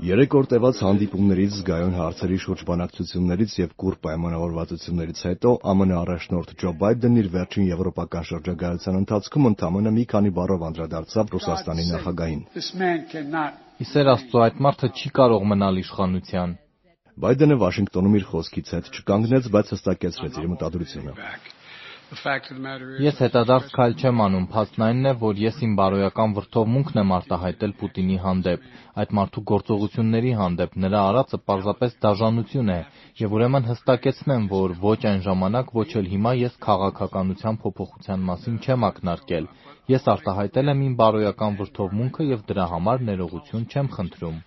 Երեք օր տևած հանդիպումներից, զգայուն հարցերի շուրջ բանակցություններից եւ կուռ պայմանավորվածություններից հետո ԱՄՆ առաջնորդ Ջո Բայդենն իր վերջին եվրոպական շրջագայության ընթացքում ընդամենը մի քանի բառով անդրադարձավ Ռուսաստանի նախագահին։ Իսեր Աստծո, այդ մարդը չի կարող մնալ իշխանության։ Բայդենը Վաշինգտոնում իր խոսքից հետ չկանգնեց, բայց հստակեցրեց իր մտադրությունը։ Ես հետադարձ քայլ չեմ անում, փաստն այնն է, որ ես իմ բարոյական վրդովմունքն եմ արտահայտել Պուտինի հանդեպ, այդ մարդու գործողությունների հանդեպ, նրա արածը պարզապես դաժանություն է, եւ ուրեմն հստակեցնեմ, որ ոչ այն ժամանակ, ոչ էլ հիմա ես քաղաքականության փոփոխության մասին չեմ ակնարկել, ես արտահայտել եմ իմ բարոյական վրդովմունքը եւ դրա համար ներողություն չեմ խնդրում։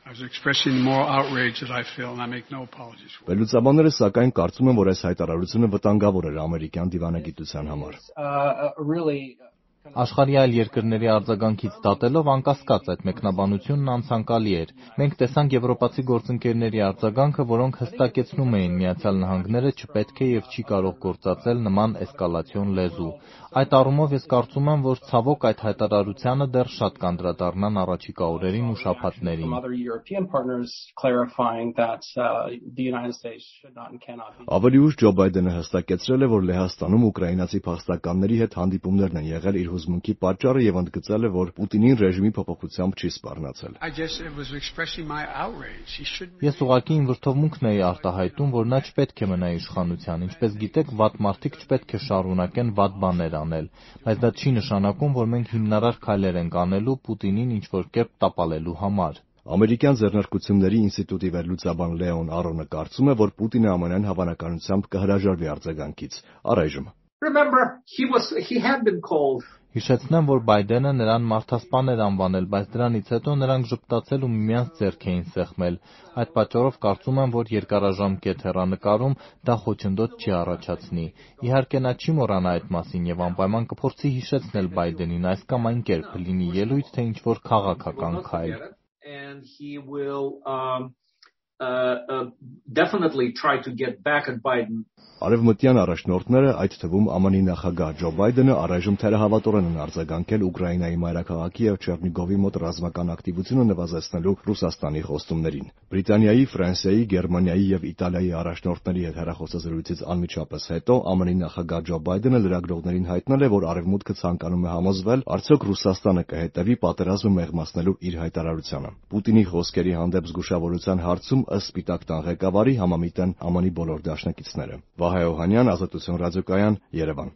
Վերլուծաբանները սակայն կարծում են, որ այս հայտարարությունը վտանգավոր էր ամերիկյան դիվանագիտության համար։ Աշխարհի այլ երկրների արձագանքից դատելով անկասկած այդ մեկնաբանությունն անցանկալի էր։ Մենք տեսանք եվրոպացի գործընկերների արձագանքը, որոնք հստակեցնում էին Միացյալ Նահանգները չպետք է եւ չի կարող գործածել նման էսկալացիոն լեզու։ Այդ առումով ես կարծում եմ, որ ցավոք այդ հայտարարությանը դեռ շատ կանդրադառնան առաջիկա օրերին ու շաբաթներին։ Ավելի ուշ Ջո Բայդենը հստակեցրել է, որ Լեհաստանում ուկրաինացի փախստականների հետ հանդիպումներն են եղել իր հուզմունքի պատճառը եւ ընդգծել է, որ Պուտինին ռեժիմի փոփոխությամբ չի սպառնացել։ Ես ուղղակի իմ վրդովմունքն էի արտահայտում, որ նա չպետք է մնա իշխանության, ինչպես գիտեք, վատ մարդիկ չպետք է շարունակեն վատ բաներ անել, բայց դա չի նշանակում, որ մենք հիմնարար քայլեր ենք անելու Պուտինին ինչ-որ կերպ տապալելու համար։ Ամերիկյան ձեռնարկությունների ինստիտուտի վերլուծաբան Լեոն Արոնը կարծում է, որ Պուտինը ԱՄՆ-ն հավանականությամբ կհրաժարվի արձագանքից առայժմ։ Հիշեցնեմ, որ Բայդենը նրան մարդասպան էր անվանել, բայց դրանից հետո նրանք ժպտացել ու միմյանց ձեռք էին սեղմել։ Այդ պատճառով կարծում եմ, որ երկարաժամկետ հեռանկարում դա խոչընդոտ չի առաջացնի։ Իհարկե նա չի մոռանա այդ մասին եւ անպայման կփորձի հիշեցնել Բայդենին այս կամ այն կերպ, լինի ելույթ թե ինչ-որ քաղաքական քայլ։ Արևմտյան առաջնորդները, այդ թվում ԱՄՆ-ի նախագահ Ջո Բայդենը առայժմ թերահավատորեն են արձագանքել Ուկրաինայի մայրաքաղաքի եւ Չեռնիգովի մոտ ռազմական ակտիվությունը նվազեցնելու Ռուսաստանի խոստումներին։ Բրիտանիայի, Ֆրանսիայի, Գերմանիայի եւ Իտալիայի առաջնորդների հետ հեռախոսազրույցից անմիջապես հետո ԱՄՆ-ի նախագահ Ջո Բայդենը լրագրողներին հայտնել է, որ Արևմուտքը ցանկանում է համոզվել, արդյոք Ռուսաստանը կհետևի պատերազմը մեղմացնելու իր հայտարարությանը։ Պուտինի խոսքերի հանդեպ զգուշավորության հարցում ըստ Սպիտակ տան ղեկավարի համամիտ են ԱՄՆ-ի բոլոր դաշնակիցները։ Վահե Օհանյան, Ազատություն ռադիոկայան, Երևան։